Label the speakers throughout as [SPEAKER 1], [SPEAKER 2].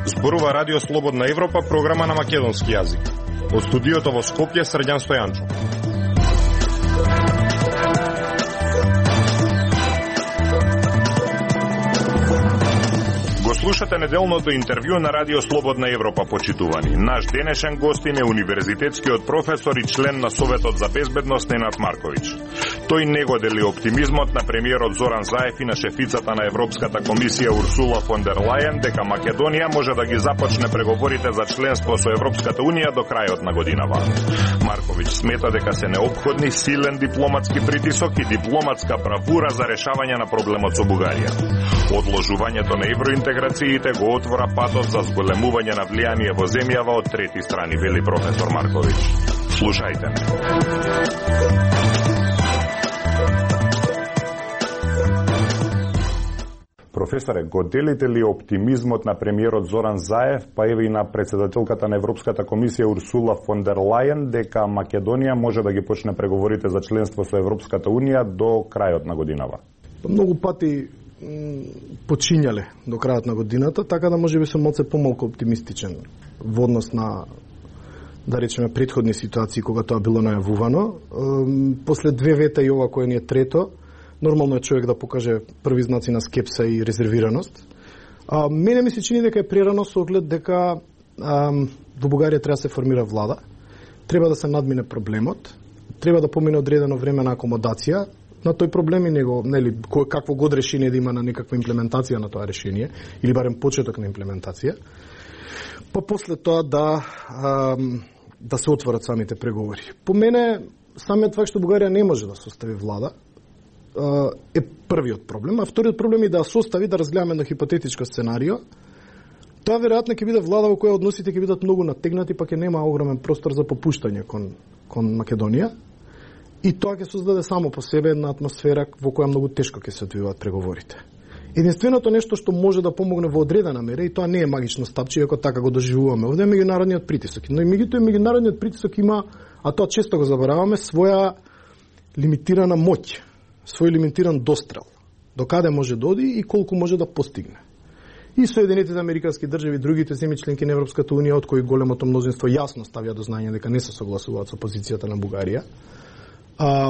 [SPEAKER 1] Зборува Радио Слободна Европа, програма на македонски јазик. Од студиото во Скопје, Срđan Стојанчо. Слушате неделното интервју на Радио Слободна Европа, почитувани. Наш денешен гостин е универзитетскиот професор и член на Советот за безбедност Ненад Марковиќ. Тој не го дели оптимизмот на премиерот Зоран Заев и на шефицата на Европската комисија Урсула фон дер Лајен дека Македонија може да ги започне преговорите за членство со Европската унија до крајот на годинава. Марковиќ смета дека се неопходни силен дипломатски притисок и дипломатска бравура за решавање на проблемот со Бугарија. Одложувањето на евроинтеграциите го отвора патот за зголемување на влијание во земјава од трети страни, вели професор Марковиќ. Слушајте ме. Професоре, го делите ли оптимизмот на премиерот Зоран Заев, па еве и на председателката на Европската комисија Урсула фон дер Лајен, дека Македонија може да ги почне преговорите за членство со Европската унија до крајот на годинава?
[SPEAKER 2] Многу пати почињале до крајот на годината, така да можеби сум малце помалку оптимистичен во однос на, да речеме, претходни ситуации кога тоа било најавувано. После две вета и ова кој ни е трето, нормално е човек да покаже први знаци на скепса и резервираност. Мене ми се чини дека е прерано со оглед дека во Бугарија треба да се формира влада, треба да се надмине проблемот, треба да помине одредено време на акомодација на тој проблем и него, нели, какво год решение да има на некаква имплементација на тоа решение, или барем почеток на имплементација, па после тоа да се отворат самите преговори. По мене, самиот факт што Бугарија не може да состави влада, е првиот проблем, а вториот проблем е да состави, да разгледаме едно хипотетичко сценарио. Тоа веројатно ќе биде влада во која односите ќе бидат многу натегнати, па ќе нема огромен простор за попуштање кон Македонија. И тоа ќе создаде само по себе една атмосфера во која многу тешко ќе се одвиваат преговорите. Единственото нешто што може да помогне во одредена мера, и тоа не е магично стапче, иако така го доживуваме овде, е меѓународниот притисок. Но и меѓународниот притисок има, а тоа често го забораваме, своја лимитирана моќ, свој лимитиран дострел. До каде може да оди и колку може да постигне. И Соединетите американски држави и другите земји членки на Европската унија, од кои големото мнозинство јасно ставија до знање дека не се согласуваат со позицијата на Бугарија,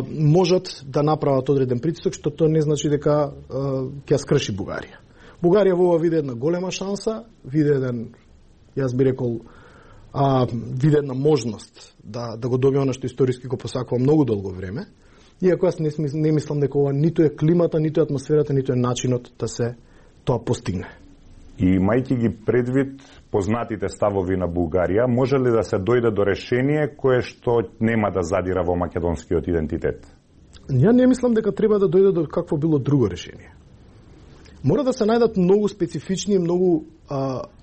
[SPEAKER 2] можат да направат одреден притисок, што тоа не значи дека ќе ја скрши Бугарија. Бугарија во ова види една голема шанса, види еден, јас би рекол, види една можност да го добие она што историски го посакува многу долго време, иако јас не мислам дека ова ниту е климата, ниту е атмосферата, ниту е начинот да се тоа постигне.
[SPEAKER 1] И мајќи ги предвид познатите ставови на Бугарија, може ли да се дојде до решение кое што нема да задира во македонскиот идентитет?
[SPEAKER 2] Ја не мислам дека треба да дојде до какво било друго решение. Мора да се најдат многу специфични и многу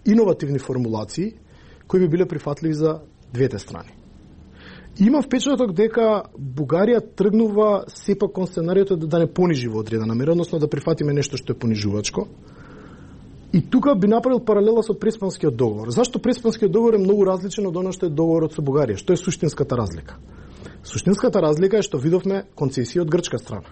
[SPEAKER 2] иновативни формулации кои би биле прифатливи за двете страни. Има впечаток дека Бугарија тргнува сепак кон сценариото да не понижи во одредена мера, односно да прифатиме нешто што е понижувачко. И тука би направил паралела со Преспанскиот договор. Зашто Преспанскиот договор е многу различен од оно што е договорот со Бугарија? Што е суштинската разлика? Суштинската разлика е што видовме концесија од грчка страна.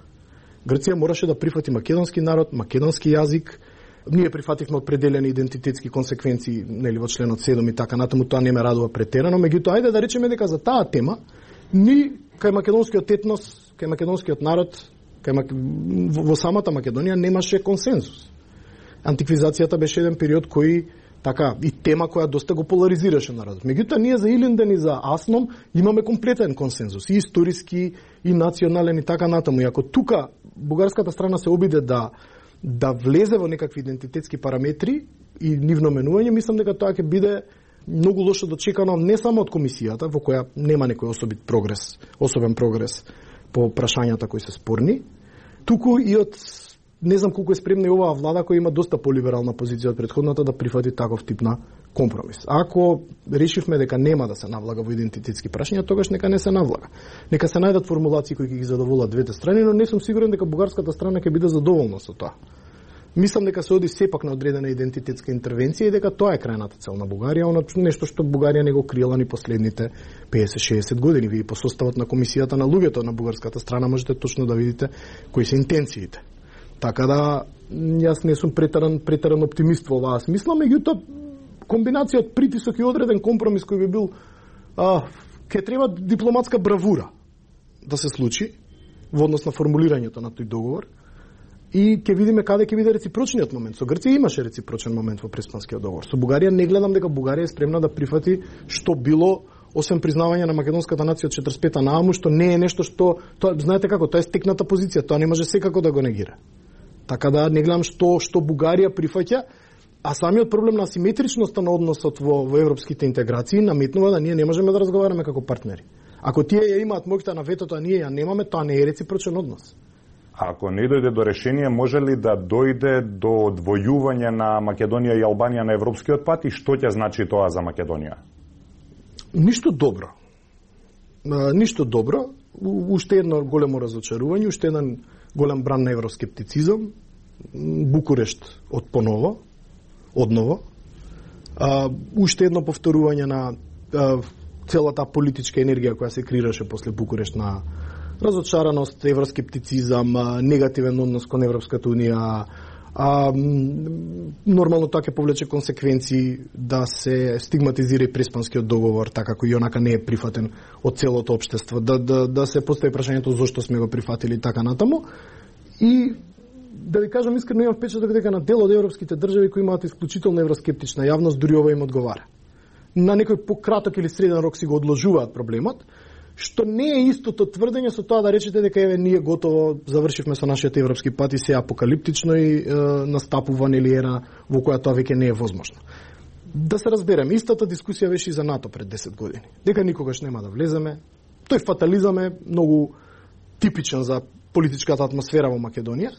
[SPEAKER 2] Грција мораше да прифати македонски народ, македонски јазик. Ние прифативме определени идентитетски консеквенции, нели, во членот 7 и така натаму, тоа не ме радува претерано, меѓутоа ајде да речеме дека за таа тема ни кај македонскиот етнос, кај македонскиот народ, во самата Македонија немаше консензус. Антиквизацијата беше еден период кој така и тема која доста го поларизираше народот. Меѓутоа ние за Илинден и за Асном имаме комплетен консензус, и историски, и национален и така натаму. И ако тука бугарската страна се обиде да влезе во некакви идентитетски параметри и нивно менување, мислам дека тоа ќе биде многу лошо дочекано не само од комисијата, во која нема некој особен прогрес по прашањата кои се спорни, туку и од не знам колку е спремна и оваа влада која има доста полиберална позиција од претходната да прифати таков тип на компромис. Ако решивме дека нема да се навлага во идентитетски прашања, тогаш нека не се навлага. Нека се најдат формулации кои ќе ги задоволат двете страни, но не сум сигурен дека бугарската страна ќе биде задоволна со тоа. Мислам дека се оди сепак на одредена идентитетска интервенција и дека тоа е крајната цел на Бугарија, она нешто што Бугарија не го крила ни последните 50-60 години. Вие по составот на комисијата на луѓето на бугарската страна можете точно да видите кои се интенциите. Така да јас не сум претеран оптимист во оваа смисла, меѓутоа комбинација од притисок и одреден компромис кој би бил ќе треба дипломатска бравура да се случи во однос на формулирањето на тој договор. И ќе видиме каде ќе биде реципрочниот момент. Со Грција имаше реципрочен момент во Преспанскиот договор. Со Бугарија не гледам дека Бугарија е спремна да прифати што било, освен признавање на македонската нација од 45-та нааму, што не е нешто што, тоа знаете како, тоа е стекната позиција, тоа не може секако да го негира. Така да не гледам што Бугарија прифаќа, а самиот проблем на асиметричноста на односот во европските интеграции наметнува да ние не можеме да разговараме како партнери. Ако тие ја имаат моќта на ветото, а ние ја немаме, тоа не е реципрочен однос.
[SPEAKER 1] Ако не дојде до решение, може ли да дојде до одвојување на Македонија и Албанија на европскиот пат и што ќе значи тоа за Македонија?
[SPEAKER 2] Ништо добро. Ништо добро. Уште едно големо разочарување, уште еден голем бран на евроскептицизам. Букурешт одново. Уште едно повторување на целата политичка енергија која се креираше после Букурешт на разочараност, евроскептицизам, негативен однос кон Европската унија, нормално тоа ќе повлече консеквенции да се стигматизира и Преспанскиот договор, така кој онака не е прифатен од целото општество, да се постави прашањето зошто сме го прифатили така натаму. И да ви кажам искрено, имам впечаток дека на дел од европските држави кои имаат исклучително евроскептична јавност, дури ова им одговара. На некој пократок или среден рок си го одложуваат проблемот, што не е истото тврдење со тоа да речете дека еве ние готово завршивме со нашиот европски пат и се апокалиптично и настапува нели ера во која тоа веќе не е возможно. Да се разбереме, истата дискусија беше и за НАТО пред 10 години. Дека никогаш нема да влеземе. Тој фатализам е многу типичен за политичката атмосфера во Македонија.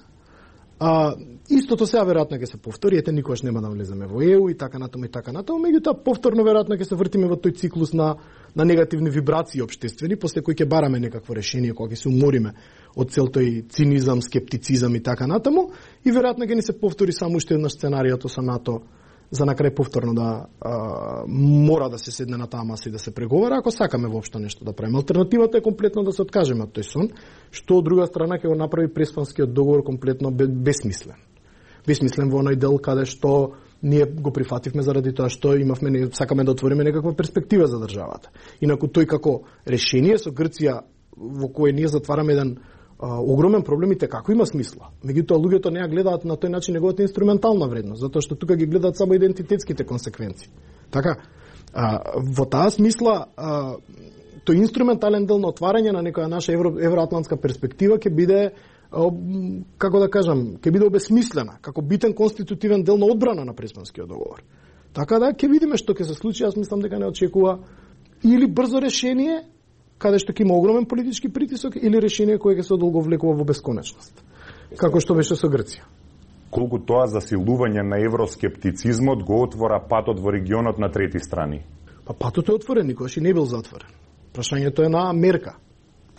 [SPEAKER 2] Истото сега веројатно ќе се повтори, ете никогаш нема да влеземе во ЕУ и така натаму, меѓутоа повторно веројатно ќе се вртиме во тој циклус на негативни вибрации општествени, после кои ќе бараме некакво решение, кога ќе се умориме од цел тој цинизам, скептицизам и така натаму, и веројатно ќе ни се повтори само уште еднаш сценариото со НАТО за на крај повторно да мора да се седне на таа маса и да се преговара, ако сакаме воопшто нешто да правиме. Алтернативата е комплетно да се откажеме од тој сон, што од друга страна ќе го направи Преспанскиот договор комплетно бесмислен. Бесмислен во оној дел каде што ние го прифативме заради тоа што сакаме да отвориме некаква перспектива за државата. Инаку тој како решение со Грција во кој ние затвараме еден огромен проблем и како има смисла. Меѓутоа луѓето не ја гледаат на тој начин неговата инструментална вредност, затоа што тука ги гледаат само идентитетските консеквенции. Така, во таа смисла тој инструментален дел на отварање на некоја наша евроатлантска перспектива ќе биде, како да кажам, ќе биде обесмислена како битен конститутивен дел на одбрана на Преспанскиот договор. Така да ќе видиме што ќе се случи, јас мислам дека не очекува или брзо решение каде што ќе има огромен политички притисок или решение кое ќе се одолговлекува во бесконечност, како што беше со Грција.
[SPEAKER 1] Колку тоа засилување на евроскептицизмот го отвора патот во регионот на трети страни?
[SPEAKER 2] Патот е отворен, никогаш и не бил затворен. Прашањето е на мерка.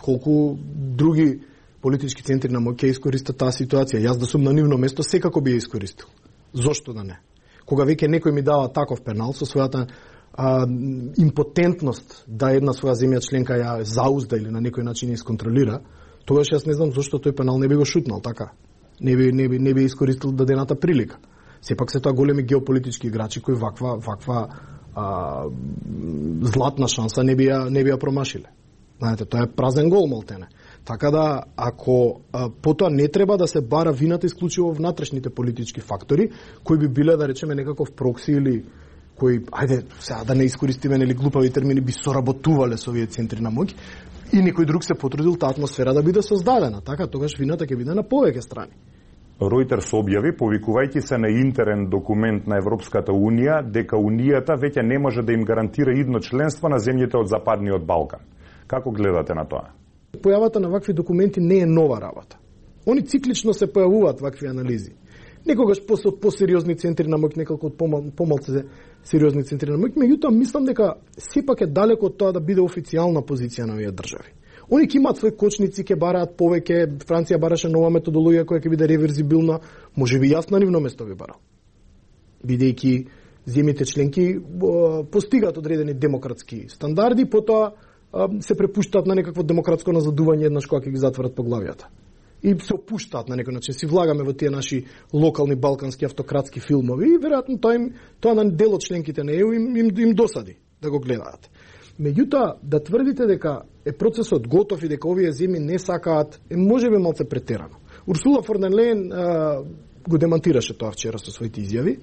[SPEAKER 2] Колку други политички центри на моќ ќе искористат таа ситуација? Јас да сум на нивно место секако би ја искористил. Зошто да не? Кога веќе некој ми дава таков пенал со својата импотентност да една своја земја членка ја заузда или на некој начин ја исконтролира, тогаш јас не знам зошто тој пенал не би го шутнал, така. Не би искористил дадената прилика. Сепак се тоа големи геополитички играчи кои ваква златна шанса не би ја промашиле. Знаете, тоа е празен гол малтене. Така да, ако потоа не треба да се бара вината исклучиво внатрешните политички фактори, кои би биле, да речеме, некаков прокси или кои, ајде, сега да не искористиме нели глупави термини, би соработувале со овие центри на моќ, и некој друг се потрудил таа атмосфера да биде создадена. Така, тогаш вината ќе биде на повеќе страни.
[SPEAKER 1] Ројтерс објави, повикувајќи се на интерен документ на Европската Унија, дека Унијата веќе не може да им гарантира идно членство на земјите од Западниот Балкан. Како гледате на тоа?
[SPEAKER 2] Појавата на вакви документи не е нова работа. Они циклично се појавуваат вакви анализи. Некогаш од посериозни центри на моќ, неколку од помалце сериозни центри на моќ, меѓутоа мислам дека сепак е далеко од тоа да биде официјална позиција на овие држави. Они ќе имаат свои кочници, ќе бараат повеќе, Франција бараше нова методологија која ќе биде реверзибилна, можеби јас на нивно место би барал. Бидејќи земјите членки постигаат одредени демократски стандарди, потоа се препуштаат на некакво демократско назадување еднаш кога ќе ги затворат поглавијата. И се опуштаат на некој начин, си влагаме во тие наши локални балкански автократски филмови и веројатно тоа на дел од членките на ЕУ им досади да го гледаат. Меѓутоа, да тврдите дека е процесот готов и дека овие земји не сакаат, е можеби малце претерано. Урсула фон дер Лејен го демантираше тоа вчера со своите изјави,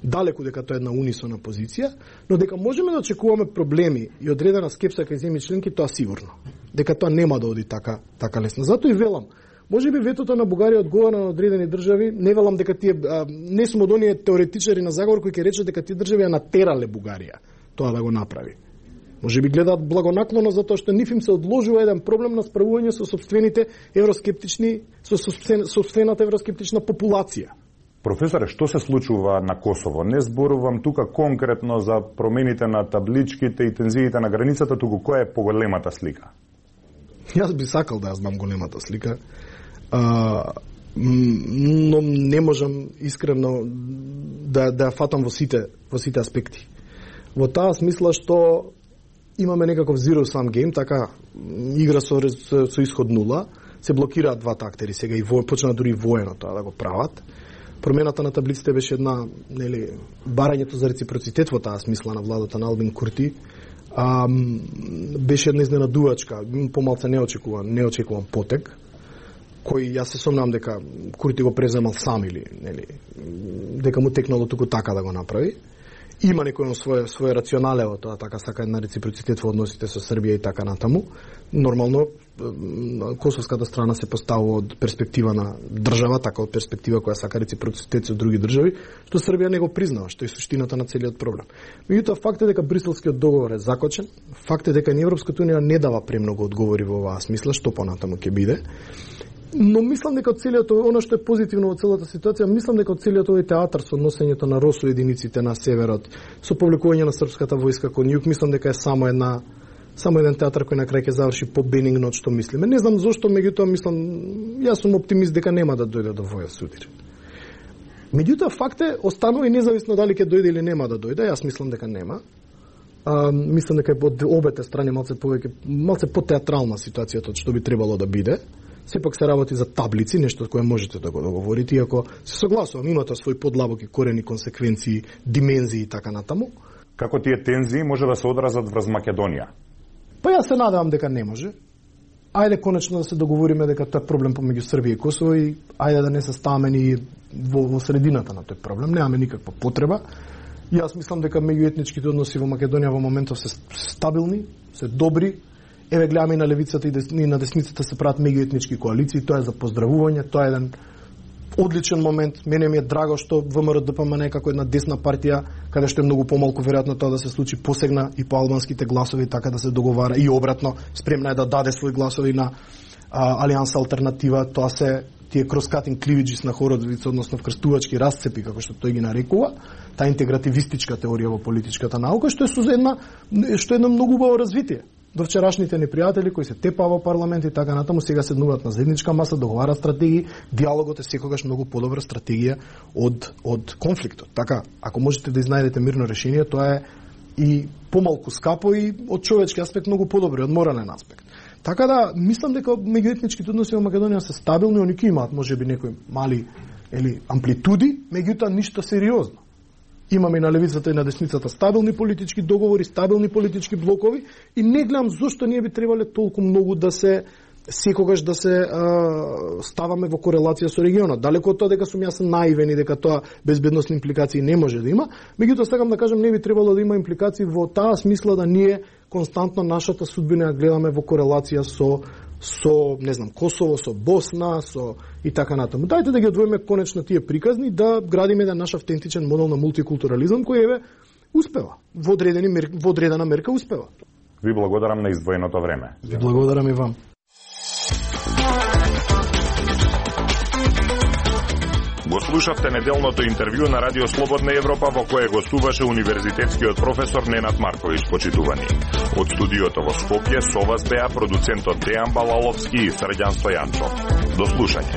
[SPEAKER 2] далеку дека тоа е една унисона позиција, но дека можеме да очекуваме проблеми и одредена скепса кај земји членки, тоа сигурно. Дека тоа нема да оди така лесно. Затоа и велам, можеби ветото на Бугарија одговара на одредени држави, не велам дека тие не сум од оние теоретичари на заговор кои ќе речат дека тие држави ја натерале Бугарија тоа да го направи. Можеби гледаат благонаклоно затоа што нив им се одложува еден проблем на справување со сопствените евроскептични, со сопствената евроскептична популација.
[SPEAKER 1] Професоре, што се случува на Косово? Не зборувам тука конкретно за промените на табличките и тензиите на границата, туку која е поголемата слика?
[SPEAKER 2] Јас би сакал да ја знам големата слика, но не можам искрено да ја фатам во сите аспекти. Во таа смисла што имаме некаков zero sum game, така игра со исход 0, се блокираат двата актери сега и почна дури воено тоа да го прават. Промената на таблиците беше една, барањето за реципроцитет во таа смисла на владата на Албин Курти, беше една изненадувачка, помалце неочекуван потек, кој јас се сомнам дека Курти го преземал сам или дека му текнало туку така да го направи. Има некој своје рационале во тоа, така сака една реципроцитет во односите со Србија и така натаму. Нормално, косовската страна се поставува од перспектива на држава, така од перспектива која сака реципроцитет со други држави, што Србија не го признава, што е суштината на целиот проблем. Меѓутоа, факт е дека Бриселскиот договор е закочен, факт е дека Европската унија не дава премногу одговори во оваа смисла, што понатаму ќе биде. Но мислам дека од целиот она што е позитивно во целата ситуација, мислам дека од целиот овој театар со носењето на РОСУ единиците на северот, со повлекување на српската војска кон југ, мислам дека е само еден театар кој на крај ќе заврши по-бенигно од што мислиме. Не знам зошто, меѓутоа мислам, јас сум оптимист дека нема да дојде до воја судир. Меѓутоа факт е, останува и независно дали ќе дојде или нема да дојде, јас мислам дека нема. Мислам дека е од обете страни малце по-театрална ситуацијата од што би требало да биде. Сепак се работи за таблици, нешто кое можете да го договорите, иако се согласувам, има тоа свој подлабоки корени, консеквенции, димензии и така натаму.
[SPEAKER 1] Како тие тензии може да се одразат врз Македонија?
[SPEAKER 2] Па јас се надевам дека не може. Ајде конечно да се договориме дека тоа е проблем помеѓу Србија и Косово и ајде да не се ставаме ни во средината на тој проблем, немаме никаква потреба. Јас мислам дека меѓуетничките односи во Македонија во моментов се стабилни, се добри. Еве гледаме и на левицата и на десницата се прават меѓуетнички коалиции, тоа е за поздравување, тоа е еден одличен момент. Мене ми е драго што ВМРО-ДПМН е како една десна партија, каде што е многу помалку веројатно тоа да се случи, посегна и по албанските гласови, така да се договара и обратно, спремна е да даде своји гласови на Алијанса Алтернатива, тоа се тие крос-катинг кливиджис на Хородовица, односно вкрстувачки расцепи, како што тој ги нарекува, таа интегративистичка теорија во политичката наука, што е едно многу убаво развитие. До вчерашните непријатели кои се тепаа во парламент и така натаму, сега седнуваат на заедничка маса, договарат стратегии, диалогот е секогаш многу подобра стратегија од конфликтот. Така, ако можете да изнајдете мирно решение, тоа е и помалку скапо и од човечки аспект многу подобро, од морален аспект. Така да, мислам дека меѓуетничките односи во Македонија се стабилни, они ќе имаат можеби некои мали амплитуди, меѓутоа ништо сериозно. Имаме и на левицата и на десницата стабилни политички договори, стабилни политички блокови и не гледам зошто ние би требале толку многу да се секогаш да се ставаме во корелација со регионот. Далеко од тоа дека сум јас наивен и дека тоа безбедносни импликации не може да има, меѓутоа сакам да кажам не би требало да има импликации во таа смисла да ние константно нашата судбина ја гледаме во корелација со не знам, Косово, со Босна, и така натаму. Дајте да ги одвоиме конечно тие приказни, да градиме еден наш автентичен модел на мултикултурализам кој успева. Во одредена мерка успева.
[SPEAKER 1] Ви благодарам на издвоеното време.
[SPEAKER 2] Ви благодарам и вам.
[SPEAKER 1] Го слушавте неделното интервју на Радио Слободна Европа во кое гостуваше универзитетскиот професор Ненад Марковиќ, почитувани. Од студиото во Скопје со вас беа продуцентот Дејан Балаловски и Срđan Стојанчов. До слушање.